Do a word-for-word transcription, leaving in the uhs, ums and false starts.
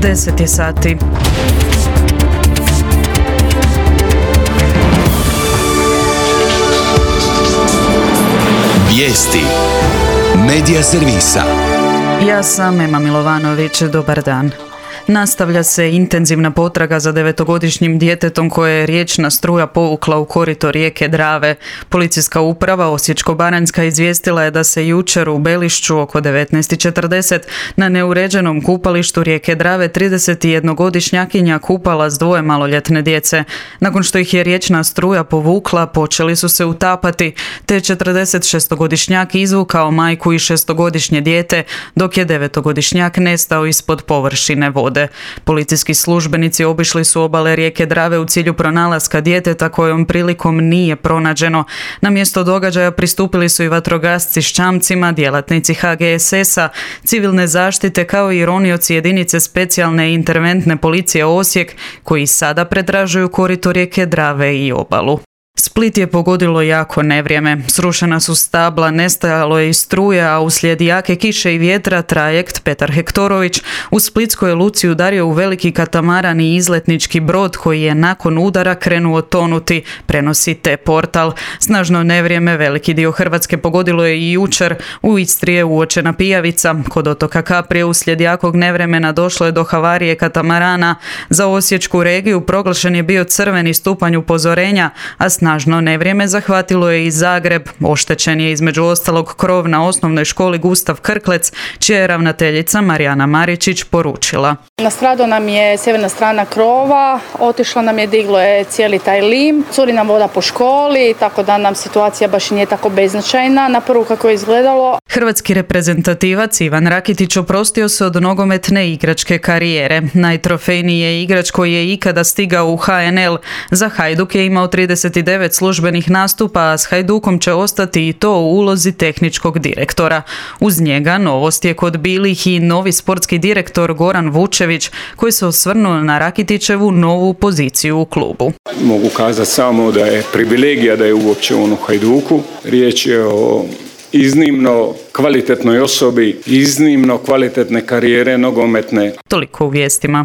deset je sati. Vijesti Medija servisa. Ja sam Ema Milovanović, dobar dan. Nastavlja se intenzivna potraga za devetogodišnjim djetetom koje je riječna struja povukla u korito rijeke Drave. Policijska uprava Osječko-baranjska izvijestila je da se jučer u Belišću oko devetnaest i četrdeset na neuređenom kupalištu rijeke Drave tridesetjednogodišnjakinja kupala s dvoje maloljetne djece. Nakon što ih je riječna struja povukla, počeli su se utapati, te četrdesetšestogodišnjak izvukao majku i šestogodišnje dijete, dok je devetogodišnjak nestao ispod površine vode. Policijski službenici obišli su obale rijeke Drave u cilju pronalaska djeteta kojom prilikom nije pronađeno. Na mjesto događaja pristupili su i vatrogasci s čamcima, djelatnici ha ge es esa, civilne zaštite kao i ronioci jedinice specijalne i interventne policije Osijek koji sada pretražuju korito rijeke Drave i obalu. Split je pogodilo jako nevrijeme. Srušena su stabla, nestajalo je i struje, a uslijed jake kiše i vjetra trajekt Petar Hektorović u splitskoj luci udario u veliki katamaran i izletnički brod koji je nakon udara krenuo tonuti, prenosi T-Portal. Snažno nevrijeme veliki dio Hrvatske pogodilo je i jučer. U Istri je uočena pijavica. Kod otoka Kaprije uslijed jakog nevremena došlo je do havarije katamarana. Za osječku regiju proglašen je bio crveni stupanj upozorenja, a snažno nevrijeme zahvatilo je i Zagreb. Oštećen je između ostalog krov na osnovnoj školi Gustav Krklec, čija je ravnateljica Marijana Maričić poručila. Nastradao nam je sjeverna strana krova, otišlo nam je, diglo je cijeli taj lim, curi nam voda po školi, tako da nam situacija baš nije tako beznačajna na prvu kako je izgledalo. Hrvatski reprezentativac Ivan Rakitić oprostio se od nogometne igračke karijere. Najtrofejniji je igrač koji je ikada stigao u ha en el. Za Hajduk je imao trideset devet službenih nastupa, a s Hajdukom će ostati i to u ulozi tehničkog direktora. Uz njega novost je kod bilih i novi sportski direktor Goran Vučević, koji se osvrnuo na Rakitićevu novu poziciju u klubu. Mogu kazati samo da je privilegija da je uopće on u Hajduku. Riječ je o iznimno kvalitetnoj osobi, iznimno kvalitetne karijere nogometne. Toliko u vijestima.